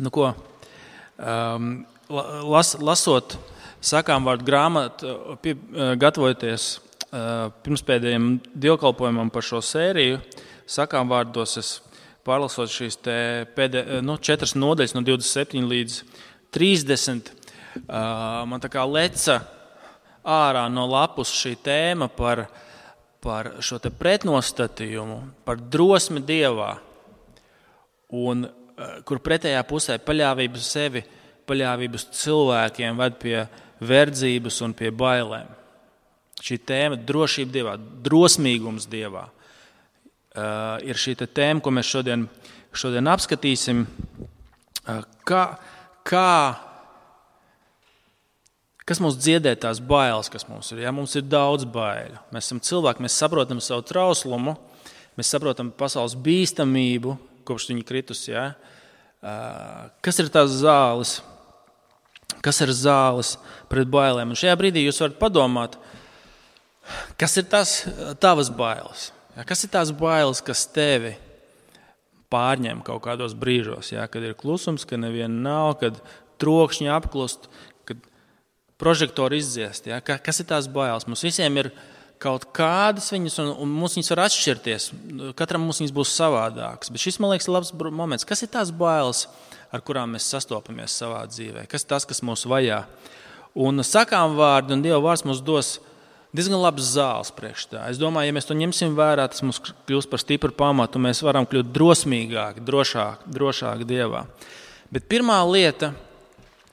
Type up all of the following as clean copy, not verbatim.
Nu ko, lasot sakām vārdu grāmatu, gatavojoties pirmspēdējiem dievkalpojumam par šo sēriju, sakām vārdos es pārlasot šīs 4 nodaļas no 27 līdz 30, man tā kā leca ārā no lapus šī tēma par šo te pretnostatījumu, par drosmi Dievā, un kur pretējā pusē paļāvību sevi, paļāvību cilvēkiem ved pie verdzības un pie bailēm. Šī tēma drošība Dievā, drosmīgums Dievā ir šī tēma, ko mēs šodien apskatīsim. Kas mums dziedē tās bailes, kas mums ir? Ja? Mums ir daudz baiļu. Mēs esam cilvēki, mēs saprotam savu trauslumu, mēs saprotam pasaules bīstamību, kopš viņa kritus. Ja? Kas ir tās zāles? Kas ir zāles pret bailēm? Un šajā brīdī jūs varat padomāt, kas ir tās tavas bailes? Ja? Kas ir tās bailes, kas tevi pārņem kaut kādos brīžos? Ja? Kad ir klusums, kad neviena nav, kad trokšņi apklust, kad prožektori izdziest. Ja? Kas ir tās bailes? Mums visiem ir kaut kādas viņas, un mums viņas var atšķirties. Katram mums viņas būs savādākas. Bet šis, man liekas, ir labs moments. Kas ir tās bailes, ar kurām mēs sastopamies savā dzīvē? Kas ir tas, kas mūs vajā? Un sakām vārdi un Dieva vārds mums dos diezgan labas zāles priekš tā. Es domāju, ja mēs to ņemsim vērā, tas mums kļūst par stipru pamatu, un mēs varam kļūt drosmīgāki, drošāki Dievā. Bet pirmā lieta,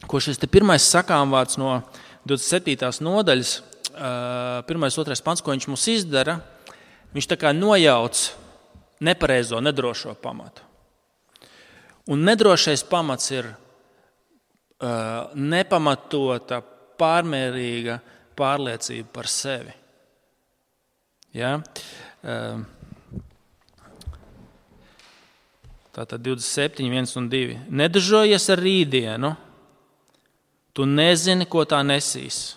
ko šis pirmais sakām vārds no 27. nodaļas, 1.2. pants, ko viņš mums izdara, viņš tā kā nojauc nepareizo, nedrošo pamatu. Un nedrošais pamats ir nepamatota, pārmērīga pārliecība par sevi. Ja? Tātad 27, 1 un 2. Nedažojies ar rītdienu, tu nezini, ko tā nesīs.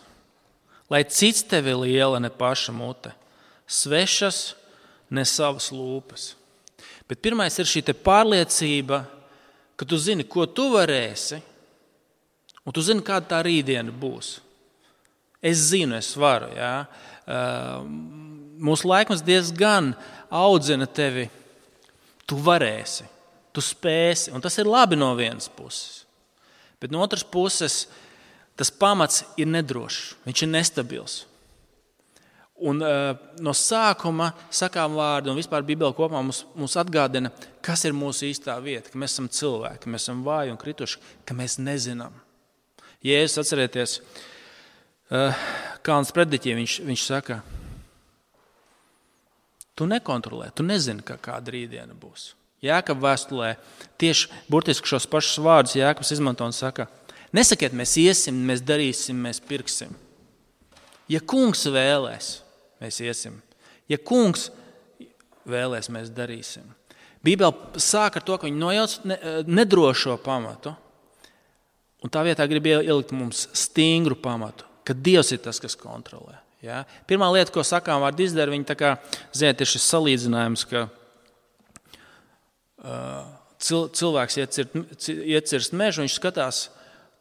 Lai cits tevi liela ne paša mute, svešas ne savas lūpas. Bet pirmais ir šī te pārliecība, ka tu zini, ko tu varēsi, un tu zini, kāda tā rītdiena būs. Es zinu, es varu. Ja? Mūsu laikmets diezgan audzina tevi. Tu varēsi, tu spēsi, un tas ir labi no vienas puses. Bet no otras puses, tas pamats ir nedrošs, viņš ir nestabils. Un no sākuma sakām vārdu un vispār Bībele kopumā mums atgādina, kas ir mūsu īstā vieta, ka mēs esam cilvēki, ka mēs esam vāji un krituši, ka mēs nezinām. Jēzus, atcerieties, Kalns preddiķī viņš saka, tu nekontrolē, tu nezini, kāda rītdiena būs. Jākaba vēstulē tieši burtiski šos pašus vārdus Jākabs izmanto un saka, nesakiet, mēs iesim, mēs darīsim, mēs pirksim. Ja kungs vēlēs, mēs iesim. Ja kungs vēlēs, mēs darīsim. Bībele sāk ar to, ka viņi nojauc nedrošo pamatu, un tā vietā grib ielikt mums stingru pamatu, ka Dievs ir tas, kas kontrolē. Ja? Pirmā lieta, ko sakām vārdu izdara, viņi tā kā, ziniet, ir šis salīdzinājums, ka cilvēks iecirst mežu, viņš skatās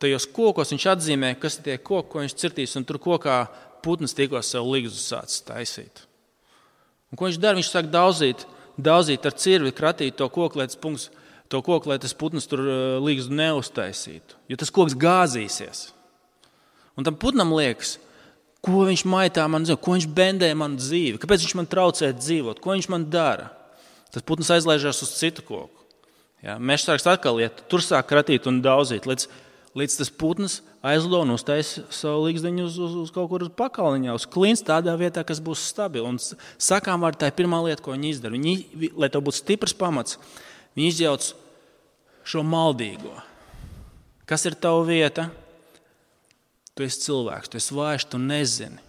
tajos kokos, viņš atzīmē, kas ir tie koki, ko viņš cirtīs, un tur kokā putnas tikko sev ligzu sācis taisīt. Un ko viņš dara? Viņš sāk daudzīt ar cirvi, kratīt to koku, lai tas putnas tur ligzu neuztaisītu, jo tas koks gāzīsies. Un tam putnam liekas, ko viņš maitā man dzīvi, ko viņš bendē man dzīvi, kāpēc viņš man traucē dzīvot, ko viņš man dara. Tas putns aizlaižās uz citu koku. Ja, mežsargs atkal iet, tur sāk kratīt un daudzīt, līdz tas putns aizlido un uztaisa savu ligzdiņu uz kaut kur uz pakalniņā, uz klints tādā vietā, kas būs stabili. Un sakām vārdu, tā ir pirmā lieta, ko viņi izdara. Lai tev būtu stiprs pamats, viņi izjauc šo maldīgo. Kas ir tava vieta? Tu esi cilvēks, tu esi vājš, tu nezini.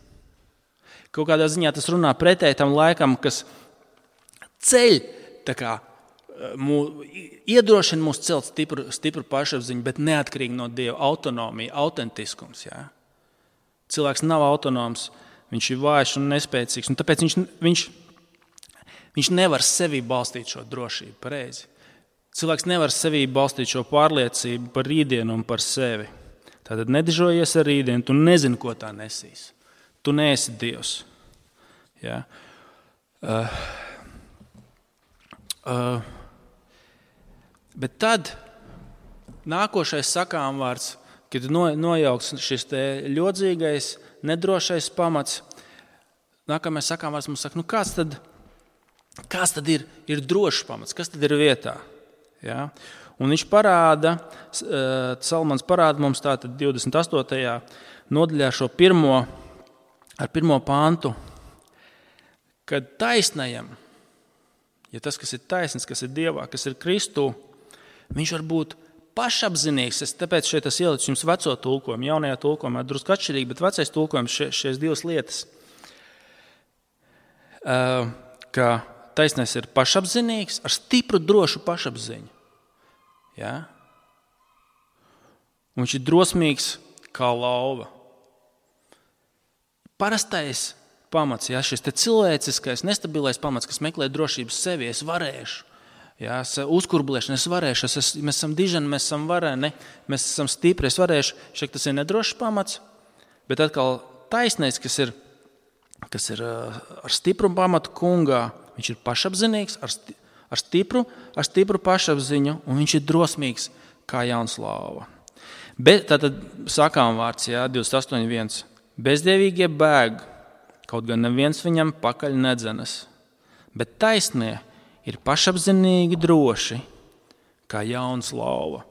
Kaut kādā ziņā tas runā pretēji tam laikam, kas ceļ, tā kā iedrošina mūs celt stipru pašapziņu, bet neatkarīgi no Dieva, autonomija, autentiskums. Ja? Cilvēks nav autonoms, viņš ir vājš un nespēcīgs, un tāpēc viņš nevar sevī balstīt šo drošību pareizi. Cilvēks nevar sevī balstīt šo pārliecību par rītdienu un par sevi. Tātad nedižojies ar rītdienu, tu nezini, ko tā nesīs. Tu neesi Dievs. Ja? Bet tad nākošais sakāmvārds, kad nojauks šis te ļodzīgais, nedrošais pamats, nākamais sakāmvārds mums saka, kāds tad ir drošs pamats, kas tad ir vietā? Ja? Un viņš parāda, Salmans parāda mums tātad 28. nodaļā šo pirmo pāntu, kad taisnajam, ja tas, kas ir taisns, kas ir Dievā, kas ir Kristū, viņš var būt pašapzinīgs. Tāpēc šeit es ielicu jums veco tulkojumu, jaunajā tulkojumā drusku atšķirīgi, bet vecais tulkojums šīs divas lietas. Ka taisnais ir pašapzinīgs ar stipru, drošu pašapziņu. Ja? Un viņš ir drosmīgs kā lauva. Parastais pamats, ja, šis te cilvēciskais, nestabilais pamats, kas meklē drošības sevi, es varēšu, ja, uzkurblēšana, es varēšu, mēs esam dižani, mēs esam vareni, mēs esam stipri, es varēšu, šeit tas ir nedrošs pamats, bet atkal taisnais, kas ir ar stipru pamatu kungā, viņš ir pašapzinīgs, ar stipru pašapziņu, un viņš ir drosmīgs kā jauns lauva. Bet tātad sakām vārds, ja, 28.1. Bezdievīgie bēg, kaut gan neviens viņam pakaļ nedzenas, bet taisnie ir pašapzinīgi droši, kā jauns lauva.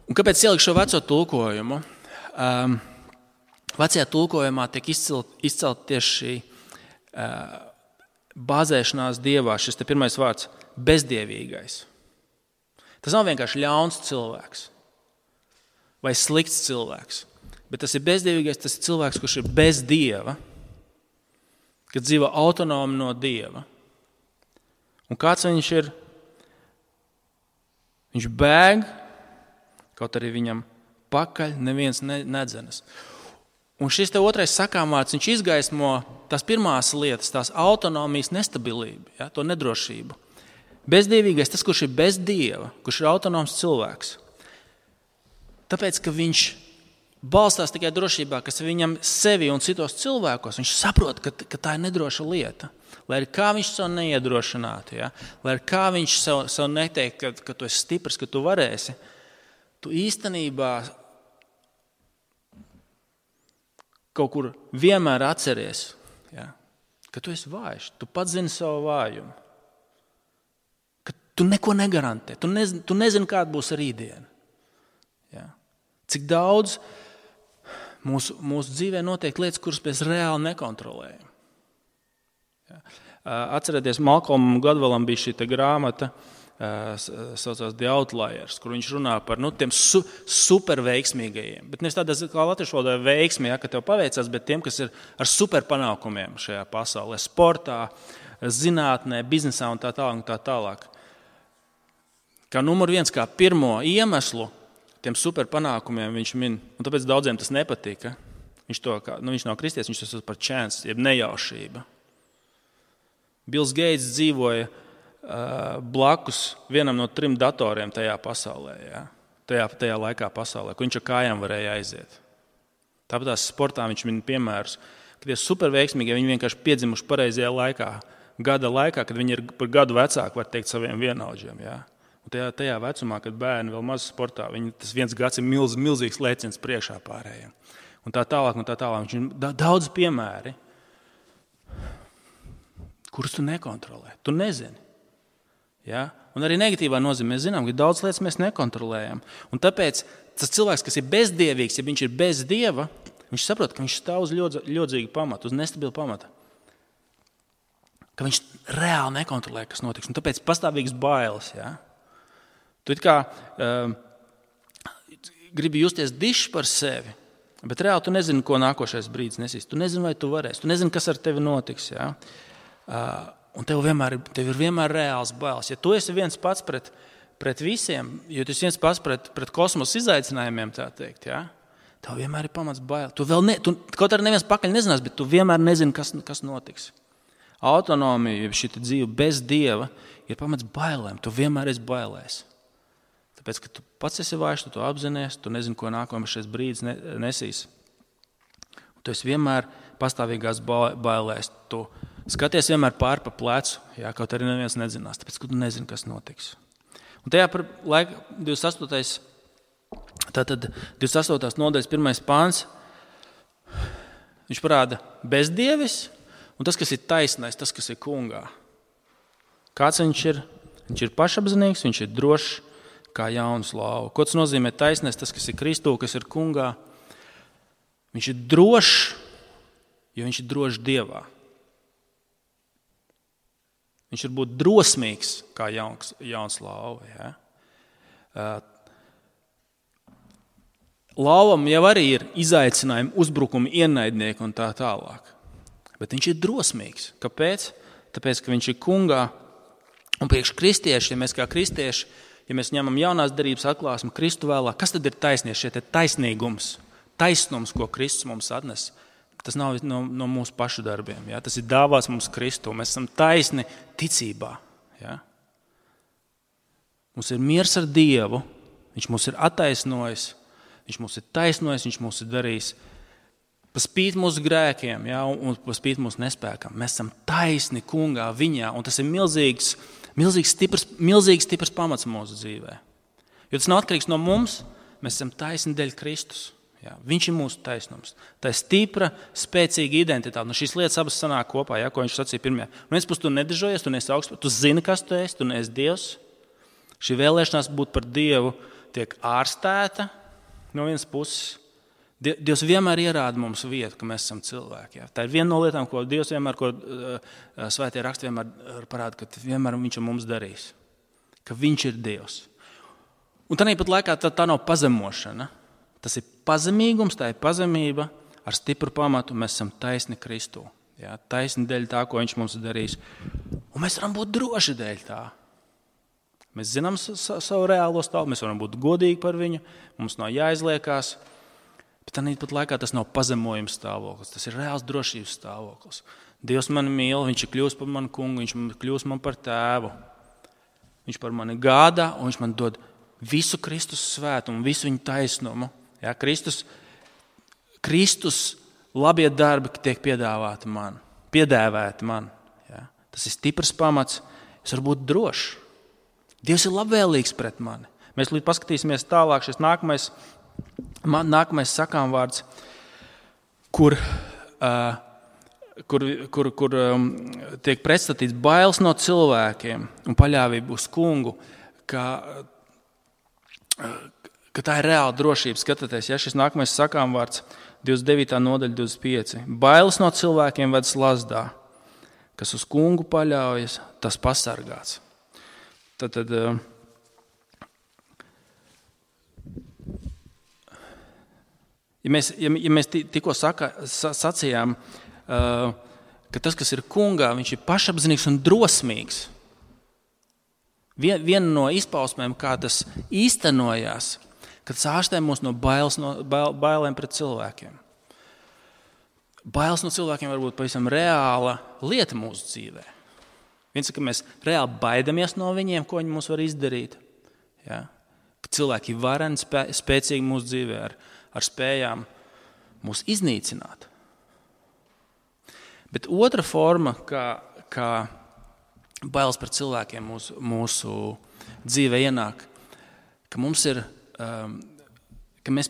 Un kāpēc ieliku šo veco tulkojumu? Vecajā tulkojumā tiek izcelt tieši šī bāzēšanās Dievā, šis te pirmais vārds – bezdievīgais. Tas nav vienkārši ļauns cilvēks vai slikts cilvēks, bet tas ir bezdievīgais, tas ir cilvēks, kurš ir bez Dieva, kad dzīvo autonomi no Dieva. Un kāds viņš ir? Viņš bēg, kaut arī viņam pakaļ neviens nedzenas. Un šis te otrais sakāmvārds, viņš izgaismo tās pirmās lietas, tās autonomijas nestabilibu, ja, to nedrošību. Bezdievīgais, tas, kurš ir bez Dieva, kurš ir autonoms cilvēks. Tāpēc, ka viņš balstās tikai drošībā, kas viņam sevi un citos cilvēkos, viņš saprot, ka tā ir nedroša lieta. Lai arī kā viņš sev neiedrošinātu, ja? Lai arī kā viņš sev neteikt, ka tu esi stiprs, ka tu varēsi, tu īstenībā kaut kur vienmēr atceries, ja? Ka tu esi vājš, tu pats zini savu vājumu, ka tu neko negarantē, tu nezini, kāda būs rītdiena. Ja? Cik daudz mūsu dzīvē notiek lietas, kuras mēs reāli nekontrolējam. Ja. Atcerieties, Malcolmam Gladwellam bija šī grāmata, saucās The Outliers, kur viņš runā par tiem superveiksmīgajiem. Bet nevis tādā kā latviešu valodā veiksmi, ja, ka tev paveicās, bet tiem, kas ir ar superpanākumiem šajā pasaulē, sportā, zinātnē, biznesā un tā tālāk. Kā numur 1, kā pirmo iemeslu tiem superpanākumiem viņš min, un tāpēc daudziem tas nepatika. Viņš nav kristietis, viņš tas par chance, jeb nejaušība. Bills Gates dzīvoja blakus vienam no 3 datoriem tajā pasaulē, ja? tajā laikā pasaulē, kur viņš ar kājām varēja aiziet. Tāpat tās sportā viņš min piemērus, ka tie superveiksmīgie, viņi vienkārši piedzimuši pareizajā laikā, gada laikā, kad viņi ir par gadu vecāki, var teikt, saviem vienaudžiem. Ja? Un tajā vecumā, kad bērni vēl maz sportā, tas viens gads ir milzīgs lēciens priekšā pārējiem. Un tā tālāk. Viņš ir daudz piemēri, kurus tu nekontrolē. Tu nezini. Ja? Un arī negatīvā nozīmē mēs zinām, ka daudz lietas mēs nekontrolējam. Un tāpēc tas cilvēks, kas ir bezdievīgs, ja viņš ir bez Dieva, viņš saprot, ka viņš stāv uz ļodzīgu pamatu, uz nestabilu pamatu. Ka viņš reāli nekontrolē, kas notiks. Un tāpēc pastāvīgs bailes, ja? Tu it kā gribi justies dišs par sevi, bet reāli tu nezini, ko nākošais brīdis nesīs. Tu nezini, vai tu varēsi. Tu nezini, kas ar tevi notiks. Ja? Un tev ir vienmēr reāls bailes. Ja tu esi viens pats pret visiem, ja tu esi viens pats pret kosmosa izaicinājumiem, tā teikt, ja? Tev vienmēr ir pamats baili. Kaut arī neviens pakaļ nezinās, bet tu vienmēr nezini, kas notiks. Autonomija, šī dzīve bez Dieva, ir pamats bailēm. Tu vienmēr esi bailēs. Tāpēc, ka tu pats esi vājš, tu to apzinies, tu nezini, ko nākamais brīdis nesīs. Tu esi vienmēr pastāvīgās bailēs. Tu skaties vienmēr pāri pa plecu, kaut arī neviens nedzinās, tāpēc, ka tu nezini, kas notiks. Un tajā par laiku 28. nodaļas 1. pāns, viņš parāda bezdievis un tas, kas ir taisnais, tas, kas ir kungā. Kāds viņš ir? Viņš ir pašapzinīgs, viņš ir drošs kā jauns lauva. Ko tas nozīmē taisnais, tas, kas ir Kristū, kas ir kungā? Viņš ir drošs, jo viņš ir drošs Dievā. Viņš var būt drosmīgs kā jauns lauva. Ja? Lauvam jau arī ir izaicinājumi, uzbrukumi, ienaidnieki un tā tālāk. Bet viņš ir drosmīgs. Kāpēc? Tāpēc, ka viņš ir kungā. Un priekš kristieši, ja mēs kā kristieši, ja mēs ņemam jaunās derības atklāsmi Kristu vēlāk, kas tad ir taisnieks? Šie taisnīgums, taisnums, ko Kristus mums atnes, tas nav no mūsu pašu darbiem. Ja? Tas ir dāvāts mums Kristu. Mēs esam taisni ticībā. Ja? Mums ir miers ar Dievu, viņš mūs ir attaisnojis, viņš mūs ir taisnojis, viņš mūs ir darījis pa spīti mūsu grēkiem, ja? Un pa spīti mūsu nespēkam. Mēs esam taisni kungā viņā, un tas ir milzīgs stiprs pamats mūsu dzīvē. Jo tas nav atkarīgs no mums, mēs esam taisni dēļ Kristus. Ja? Viņš ir mūsu taisnums. Tā ir stipra, spēcīga identitāte. Šīs lietas abas sanāk kopā, ja? Ko viņš sacīja pirmajā. Un viens puses tu nedežojies, tu neesi augsts, tu zini, kas tu esi, tu neesi Dievs. Šī vēlēšanās būt par Dievu tiek ārstēta no vienas puses. Dievs vienmēr ierāda mums vietu, ka mēs esam cilvēki. Ja? Tā ir viena no lietām, ko Dievs vienmēr, ko svētie raksti vienmēr parāda, ka vienmēr viņš ar mums darīs. Ka viņš ir Dievs. Un tāpat laikā tā nav pazemošana. Tas ir pazemīgums, tā ir pazemība ar stipru pamatu. Mēs esam taisni Kristū. Ja? Taisni dēļ tā, ko viņš mums ir darījis. Un mēs varam būt droši dēļ tā. Mēs zinām savu reālo stāvokli, mēs varam būt godīgi par viņu, mums nav jāizliekās. Bet tāpat laikā tas nav pazemojums stāvoklis, tas ir reāls drošības stāvoklis. Dievs mani mīl, viņš ir kļūst par manu kungu, viņš kļūst man par tēvu. Viņš par mani gādā un viņš man dod visu Kristus svētumu, visu viņa taisnumu. Ja, Kristus labie darbi tiek piedēvēti man. Ja. Tas ir stiprs pamats, es varu būt drošs. Dievs ir labvēlīgs pret mani. Mēs līdz paskatīsimies tālāk, šis nākamais sakāmvārds, kur tiek pretstatīts bailes no cilvēkiem un paļāvība uz kungu, ka tā ir reāla drošība. Skatieties, ja šis nākamais sakāmvārds 29. nodaļa 25. Bailes no cilvēkiem ved slazdā, kas uz kungu paļaujas, tas pasargāts. Tad ja mēs tikko sacījām, ka tas, kas ir kungā, viņš ir pašapzinīgs un drosmīgs. Viena no izpausmēm, kā tas īstenojās, kad ārstē mūs no bailēm pret cilvēkiem. Bailes no cilvēkiem var būt pavisam reāla lieta mūsu dzīvē. Viens ir, ka mēs reāli baidamies no viņiem, ko viņi mums var izdarīt. Ja? Ka cilvēki ir vareni, spēcīgi mūsu dzīvē ar spējām mūs iznīcināt. Bet otra forma, kā bailes par cilvēkiem mūsu dzīvē ienāk, ka mums ir, ka mēs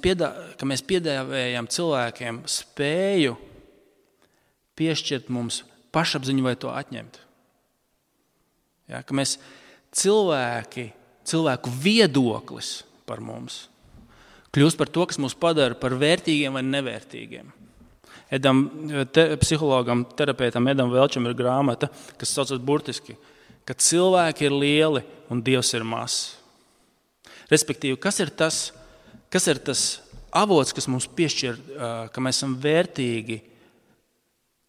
piedāvājam cilvēkiem spēju piešķirt mums pašapziņu vai to atņemt. Ja, ka mēs cilvēku viedoklis par mums kļūst par to, kas mūs padara par vērtīgiem vai nevērtīgiem. Psihologam, terapeitam Edam Velčam ir grāmata, kas saucas burtiski, ka cilvēki ir lieli un Dievs ir mazs. Respektīvi, kas ir tas avots, kas mums piešķir, ka mēs esam vērtīgi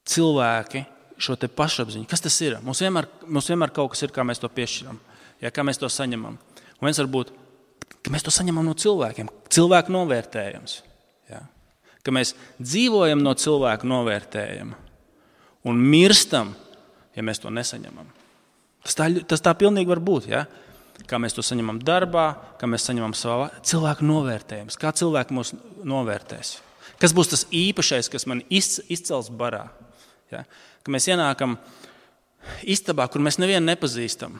cilvēki, šo te pašapziņu. Kas tas ir? Mums vienmēr kaut kas ir, kā mēs to piešķiram, ja, kā mēs to saņemam. Un viens var būt, ka mēs to saņemam no cilvēkiem, cilvēku novērtējums. Ja. Ka mēs dzīvojam no cilvēku novērtējuma un mirstam, ja mēs to nesaņemam. Tas tā pilnīgi var būt, ja? Kā mēs to saņemam darbā, kā mēs saņemam savā cilvēku novērtējumus, kā cilvēki mūs novērtēs. Kas būs tas īpašais, kas man izcels barā? Ja? Ka mēs ienākam istabā, kur mēs nevienu nepazīstam.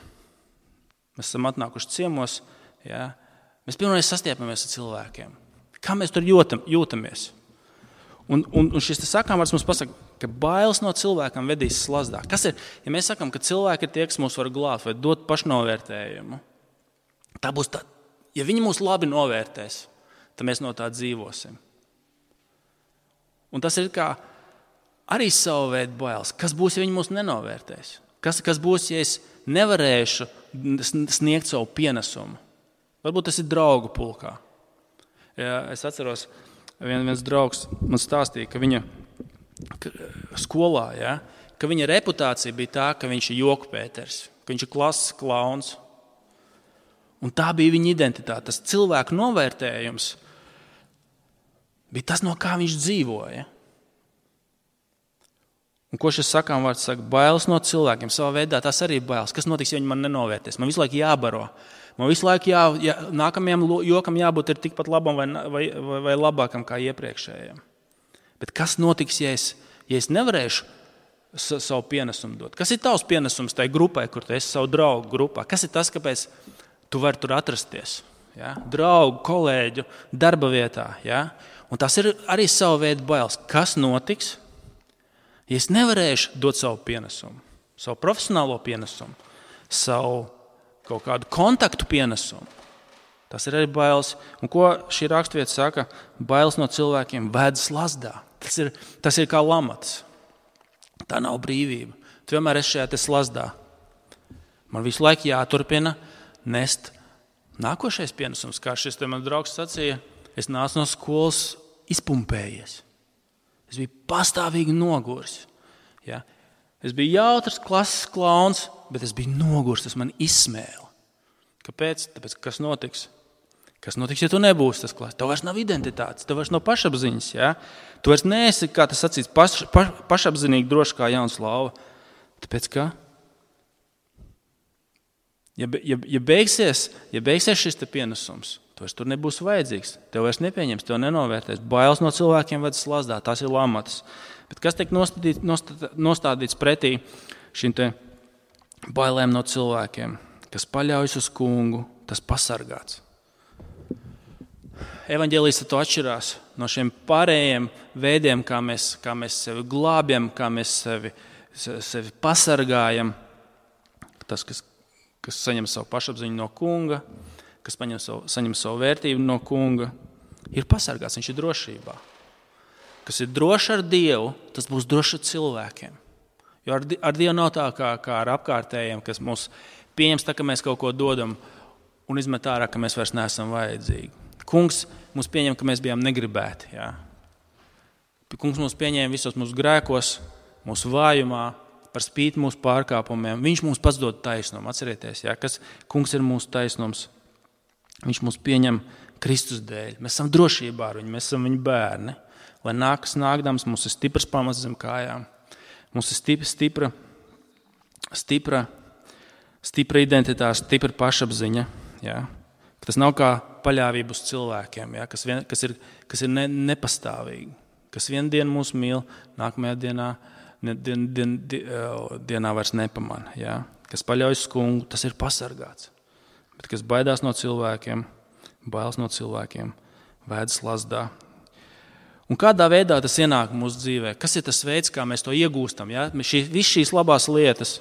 Mēs esam atnākuši ciemos, ja? Mēs pirmoreiz sastiepamies ar cilvēkiem. Kā mēs tur jūtamies? Un šis sakāmvārds mums pasaka, ka bailes no cilvēkam vedīs slazdā. Kas ir, ja mēs sakam, ka cilvēki ir tie, kas mūs var glābt vai dot pašnovērtējumu, tā būs tā, ja viņi mūs labi novērtēs, tad mēs no tā dzīvosim. Un tas ir kā arī savu veidu bailes. Kas būs, ja viņi mūs nenovērtēs? Kas būs, ja es nevarēšu sniegt savu pienesumu? Varbūt tas ir draugu pulkā. Ja, es atceros, viens draugs man stāstīja, ka viņa skolā, ja, ka viņa reputācija bija tā, ka viņš ir joku Pēters, ka viņš ir klases klauns. Un tā bija viņa identitāte. Tas cilvēku novērtējums bija tas, no kā viņš dzīvoja. Un ko šis sakāmvārds saka? Bailes no cilvēkiem. Savā veidā tas arī ir bailes. Kas notiks, ja viņi man nenovērtēs? Man visu laiku jābaro. Man visu laiku nākamajam jokam jābūt ir tikpat labam vai labākam kā iepriekšējiem. Bet kas notiks, ja es nevarēšu savu pienesumu dot? Kas ir tavs pienesums tai grupai, kur tu esi savu draugu grupā? Kas ir tas, kāpēc tu vari tur atrasties? Ja? Draugu, kolēģu, darba vietā. Ja? Un tas ir arī savu veidu bailes. Kas notiks, ja es nevarēšu dot savu pienesumu? Savu profesionālo pienesumu, savu kaut kādu kontaktu pienesumu. Tas ir arī bailes. Un ko šī raksturvieta saka? Bailes no cilvēkiem ved slazdā. Tas ir kā lamatas. Tā nav brīvība. Tu vienmēr esi šajā slazdā. Man visu laiku jāturpina nest nākošais pienesums. Kā šis te man draugs sacīja, es nācu no skolas izpumpējies. Es biju pastāvīgi noguris. Ja? Es biju jautrs klases klauns, bet es biju nogurs, tas man izsmēla. Kāpēc? Tāpēc, kas notiks? Kas notiks, ja tu nebūsi tas klases? Tev vairs nav identitātes, tev vairs nav pašapziņas. Ja? Tu vairs neesi, kā tas sacīts, pašapzinīgi droši kā jauns lauva. Tāpēc, ka? Ja beigsies šis te pienesums, tu vairs tur nebūs vajadzīgs. Tev vairs nepieņems, tev nenovērtēs. Bailes no cilvēkiem ved slazdā, tās ir lamatas. Bet kas tiek nostādīts pretī šim te bailēm no cilvēkiem, kas paļaujas uz kungu, tas pasargāts. Evaņģēlijs to atšķirās no šiem pārējiem veidiem, kā mēs sevi glābjam, kā mēs sevi pasargājam. Tas, kas saņem savu pašapziņu no kunga, kas saņem savu vērtību no kunga, ir pasargāts, viņš ir drošībā. Kas ir drošs ar Dievu, tas būs drošs ar cilvēkiem. Jo ar Dievu nav tā kā ar apkārtējiem, kas mūs pieņems tā, ka mēs kaut ko dodam un izmet ārā, ka mēs vairs neesam vajadzīgi. Kungs mūs pieņem, ka mēs bijām negribēti. Ja? Kungs mūs pieņēma visos mūsu grēkos, mūsu vājumā, par spīti mūsu pārkāpumiem. Viņš mums pats dod taisnumu. Atcerieties, ja? Kas kungs ir mūsu taisnums. Viņš mūs pieņem Kristus dēļ. Mēs esam drošībā ar viņu, mēs esam viņa bērni. Lai nākdams, mums ir stiprs pamats zem kājām. Mums ir stipra identitāte, stipra pašapziņa. Ja? Tas nav kā paļāvība uz cilvēkiem, ja? kas ir nepastāvīgi. Kas vienu dienu mūs mīl, nākamajā dienā vairs nepamana. Ja? Kas paļaujas uz kungu, tas ir pasargāts. Bet kas baidās no cilvēkiem, bailes no cilvēkiem, vēd slazdā. Un kādā veidā tas ienāk mūsu dzīvē? Kas ir tas veids, kā mēs to iegūstam? Ja? Viss šīs labās lietas,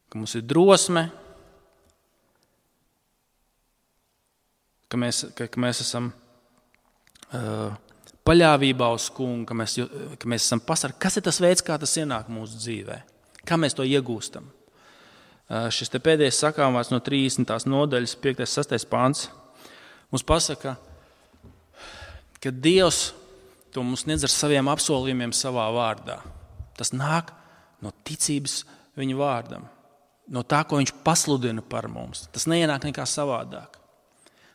ka mums ir drosme, ka mēs esam paļāvībā uz kungu, ka mēs esam pasargāti. Kas ir tas veids, kā tas ienāk mūsu dzīvē? Kā mēs to iegūstam? Šis te pēdējais sakāmvārds no 30. nodaļas, 5. 6. pāns, mums pasaka, ka Dievs to mums sniedz ar saviem apsolījumiem savā vārdā. Tas nāk no ticības viņa vārdam, no tā, ko viņš pasludina par mums. Tas neienāk nekā savādāk.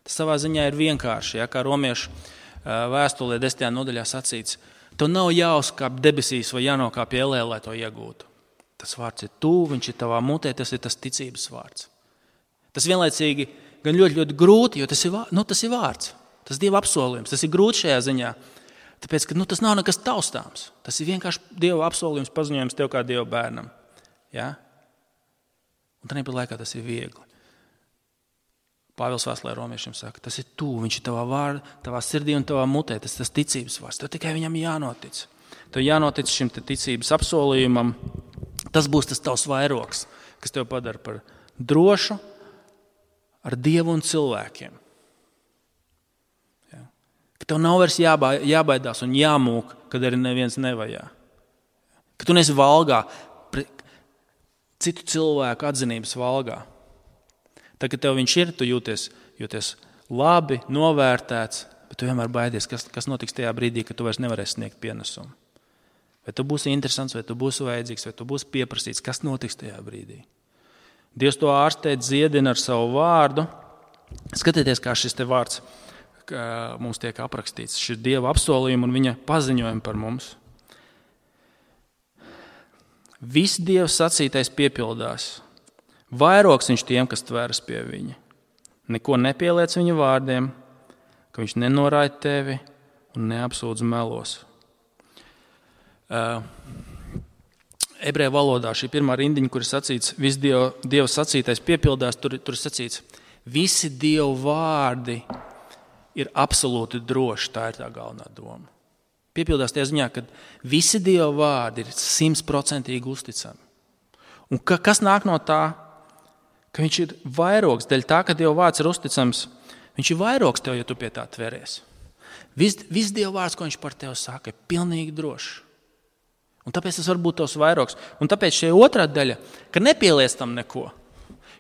Tas savā ziņā ir vienkārši, ja, kā romiešu vēstulē 10. nodaļā sacīts. Tev nav jāuzkāp debesīs vai jānokāpj ellē, lai to iegūtu. Tas vārds ir tuvu, viņš ir tavā mutē, tas ir tas ticības vārds. Tas vienlaicīgi gan ļoti, ļoti grūti, jo tas ir vārds. Tas ir Dieva apsolījums, tas ir grūti šajā ziņā. Tāpēc, ka tas nav nekas taustāms. Tas ir vienkārši Dieva apsolījums, paziņojums tev kā Dieva bērnam. Ja? Un tāpat laikā tas ir viegli. Pāvils vēstulē romiešiem saka, tas ir tuvu, viņš ir tavā sirdī un tavā mutē, tas ir tas ticības vārds. Tev tikai viņam jānotic. Tev jānotic šim ticības apsolījumam. Tas būs tas tavs vairogs, kas tev padara par drošu ar Dievu un cilvēkiem. Ja? Ka tev nav vairs jābaidās un jāmūk, kad arī neviens nevajā. Ka tu neesi valgā, citu cilvēku atzinības valgā. Tad, kad tev viņš ir, tu jūties labi, novērtēts, bet tu vienmēr baidies, kas notiks tajā brīdī, kad tu vairs nevarēsi sniegt pienesumu. Vai tu būsi interesants, vai tu būsi vajadzīgs, vai tu būsi pieprasīts, kas notiks tajā brīdī. Dievs to ārstē, dziedina ar savu vārdu. Skatieties, kā šis te vārds mums tiek aprakstīts. Šis ir Dieva apsolījums un viņa paziņojumi par mums. Viss Dievs sacītais piepildās. Vairogs viņš tiem, kas tveras pie viņa. Neko nepieliec viņa vārdiem, ka viņš nenoraida tevi un neapsūdz melos. Ebreju valodā šī pirmā rindiņa, kur ir sacīts, viss Dieva sacītais piepildās, tur ir sacīts, visi Dieva vārdi ir absolūti droši, tā ir tā galvenā doma. Piepildās tajā ziņā, ka visi Dieva vārdi ir 100% uzticami. Un kas nāk no tā? Ka viņš ir vairogs, dēļ tā, ka Dieva vārds ir uzticams, viņš ir vairogs tev, ja tu pie tā tveries. Viss Dieva vārds, ko viņš par tevi saka, ir pilnīgi drošs. Un tāpēc tas var būt tavs vairogs. Un tāpēc šī otrā daļa, ka nepieliec tam neko.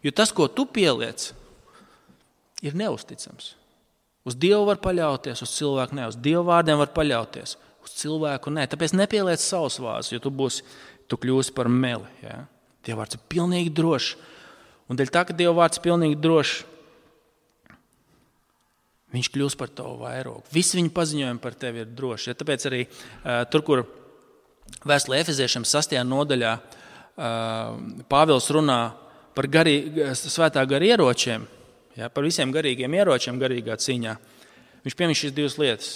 Jo tas, ko tu pieliec, ir neusticams. Uz Dievu var paļauties, uz cilvēku ne. Uz Dieva vārdiem var paļauties, uz cilvēku ne. Tāpēc nepieliec savus vārdus, jo tu kļūsi par meli. Ja? Dieva vārds ir pilnīgi drošs. Un dēļ tā, ka Dieva vārds ir pilnīgi drošs, viņš kļūs par tavu vairogu. Visi viņa paziņojumi par tevi ir droši. Ja? Tāpēc arī tur, kur vēstulē Efeziešiem 6. nodaļā Pāvils runā par svētā gara ieročiem, ja? Par visiem garīgiem ieročiem garīgā cīņā. Viņš piemin šīs divas lietas.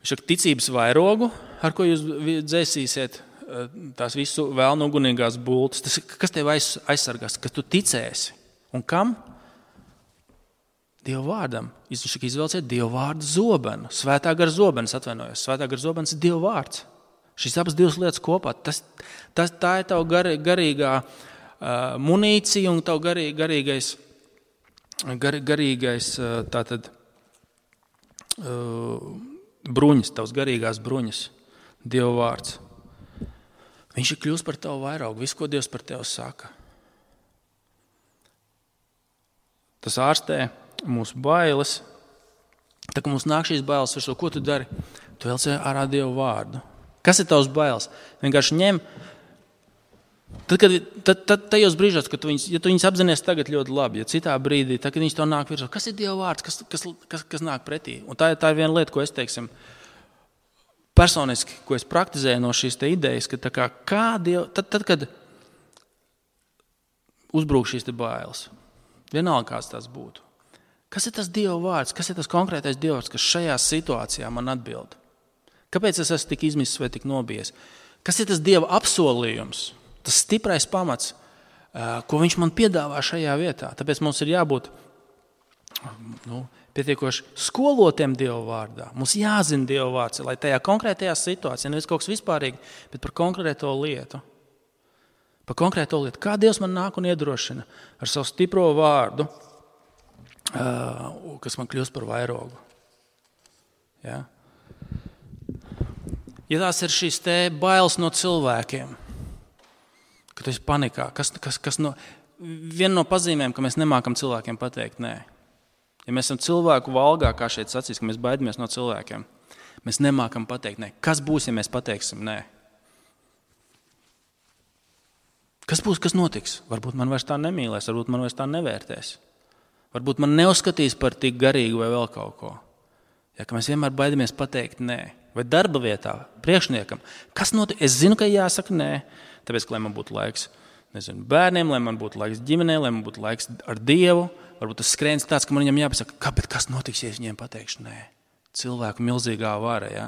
Viņš saka ticības vairogu, ar ko jūs dzēsīsiet tās visu vēlnu ugunīgās bultas. Tas, kas tev aizsargās, kas tu ticēsi. Un kam? Dieva vārdam. Viņš izvēlēsiet Dieva vārdu zobenu. Svētā gara zobenis, atvainojos. Svētā gara zobenis ir Dieva vārds. Šīs abas divas lietas kopā. Tā ir tava garīgā munīcija un tava garīgais tātad bruņas, tavas garīgās bruņas. Dieva vārds. Viņš ir kļūst par tavu vairāku, visu, ko Dievs par tevi saka. Tas ārstē mūsu bailes. Tā, kad mums nāk šīs bailes, ko tu dari? Tu velc ārā Dieva vārdu. Kas ir tavs bailes? Vienkārši ņem. Tad tajos brīžos, kad tu viņus apzinies tagad ļoti labi, ja citā brīdī, tad, kad viņus tev nāk virsū, kas ir Dieva vārds, kas nāk pretī? Un tā ir viena lieta, ko es teiksim, personiski, ko es praktizēju no šīs te idejas, ka tad, kad uzbrūk šīs te bailes, vienalga kāds tās būtu. Kas ir tas Dieva vārds? Kas ir tas konkrētais Dieva vārds, kas šajā situācijā man atbild? Kāpēc es esmu tik izmisis vai tik nobijies? Kas ir tas Dieva apsolījums? Tas stiprais pamats, ko viņš man piedāvā šajā vietā. Tāpēc mums ir jābūt pietiekoši skolotiem Dieva vārdā. Mums jāzina Dieva vārds, lai tajā konkrētajā situācijā, nevis kaut kas vispārīgi, bet par konkrēto lietu. Par konkrēto lietu. Kā Dievs man nāk un iedrošina ar savu stipro vārdu, kas man kļūst par vairogu. Ja? Ja tās ir šīs te bailes no cilvēkiem, ka tu esi panikā, viena no pazīmēm, ka mēs nemākam cilvēkiem pateikt nē. Ja mēs esam cilvēku valgā, kā šeit sacīs, ka mēs baidamies no cilvēkiem, mēs nemākam pateikt nē. Kas būs, ja mēs pateiksim nē? Kas būs, kas notiks? Varbūt man vairs tā nemīlēs, varbūt man vairs tā nevērtēs. Varbūt man neuzskatīs par tik garīgu vai vēl kaut ko. Ja, ka mēs vienmēr baidamies pateikt nē. vai darba vietā, priekšniekam. Kas notiek? Es zinu, ka jāsaka nē, tāpēc, lai man būtu laiks bērniem, lai man būtu laiks ģimenei, lai man būtu laiks ar Dievu. Varbūt tas skrējiens tāds, ka man viņam jāpasaka, kas notiks, ja es viņiem pateikšu nē? Cilvēku milzīgā vara, jā.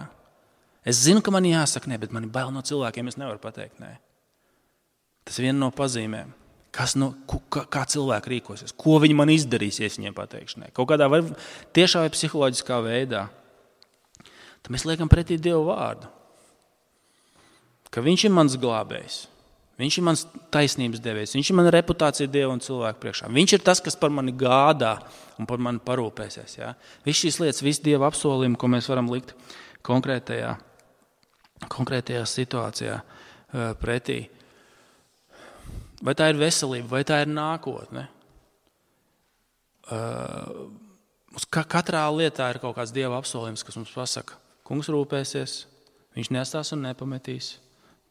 Es zinu, ka man jāsaka nē, bet man ir bail no cilvēkiem, es nevaru pateikt nē. Tas ir viena no pazīmēm. Kā cilvēki rīkosies? Ko viņi man izdarīs, ja es viņiem pateikšu nē? Kaut kādā vai tiešā vai psiholoģiskā veidā. Tad mēs liekam pretī Dievu vārdu. Ka viņš ir mans glābējs. Viņš ir mans taisnības devējs. Viņš ir mana reputācija Dievu un cilvēku priekšā. Viņš ir tas, kas par mani gādā un par mani parūpēsies. Ja? Viss šīs lietas, visi Dieva apsolījumi, ko mēs varam likt konkrētajā situācijā pretī. Vai tā ir veselība, vai tā ir nākotne? Katrā lietā ir kaut kāds Dieva apsolījums, kas mums pasaka, kungs rūpēsies, viņš nestās un nepametīs.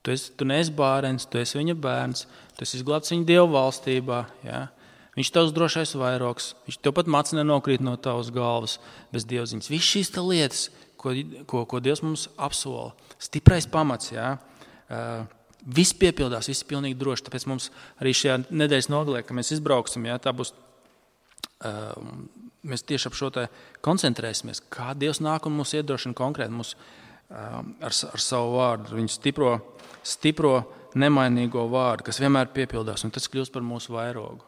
Tu neesi bārens, tu esi viņa bērns, tu esi izglābts viņa Dieva valstībā. Ja? Viņš tavs drošais vairogs, viņš tev pat macis nenokrīt no tavas galvas bez dievziņas. Viss šīs lietas, ko Dievs mums apsola, stiprais pamats, ja? Viss piepildās, viss pilnīgi droši. Tāpēc mums arī šajā nedēļas nogalē, kad mēs izbrauksim, ja? Tā būs, mēs tieši ap šo te koncentrēsimies, kā Dievs nāk un mūs iedrošina konkrēti mūs ar savu vārdu, viņu stipro nemainīgo vārdu, kas vienmēr piepildās, un tas kļūst par mūsu vairogu.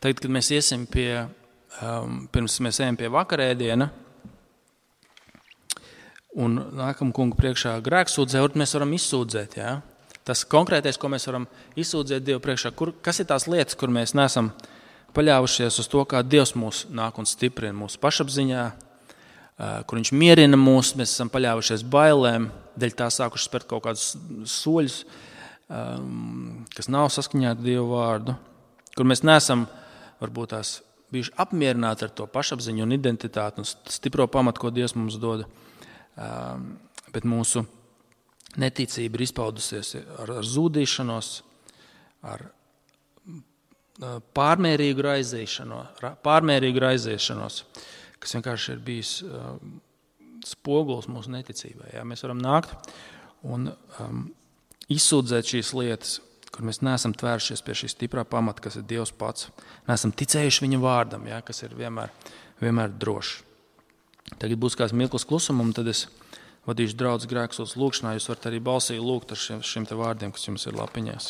Tagad, kad mēs iesim pirms mēs ejam pie vakarēdiena, un nākam kungu priekšā grēksūdzē, mēs varam izsūdzēt, ja? Tas konkrētais, ko mēs varam izsūdzēt Dievu priekšā, kas ir tās lietas, kur mēs neesam paļāvušies uz to, kā Dievs mūs nāk un stiprina mūsu pašapziņā, kur viņš mierina mūs, mēs esam paļāvušies bailēm, dēļ tā sākuši spērt kaut kādus soļus, kas nav saskaņā ar Dievu vārdu, kur mēs neesam varbūt tās bijuši apmierināti ar to pašapziņu un identitāti un stipro pamatu, ko Dievs mums dod, bet mūsu neticība ir izpaudusies ar zūdīšanos, ar pārmērīgu raizēšanos, kas vienkārši ir bijis spogulis mūsu neticībai. Ja? Mēs varam nākt un izsūdzēt šīs lietas, kur mēs neesam tvēršies pie šī stiprā pamata, kas ir Dievs pats. Neesam ticējuši viņa vārdam, ja? Kas ir vienmēr drošs. Tagad būs kāds mirklis klusuma, un tad es vadīšu draudz grēksūdzes lūkšanā. Jūs varat arī balsī lūgt ar šiem te vārdiem, kas jums ir lapiņās.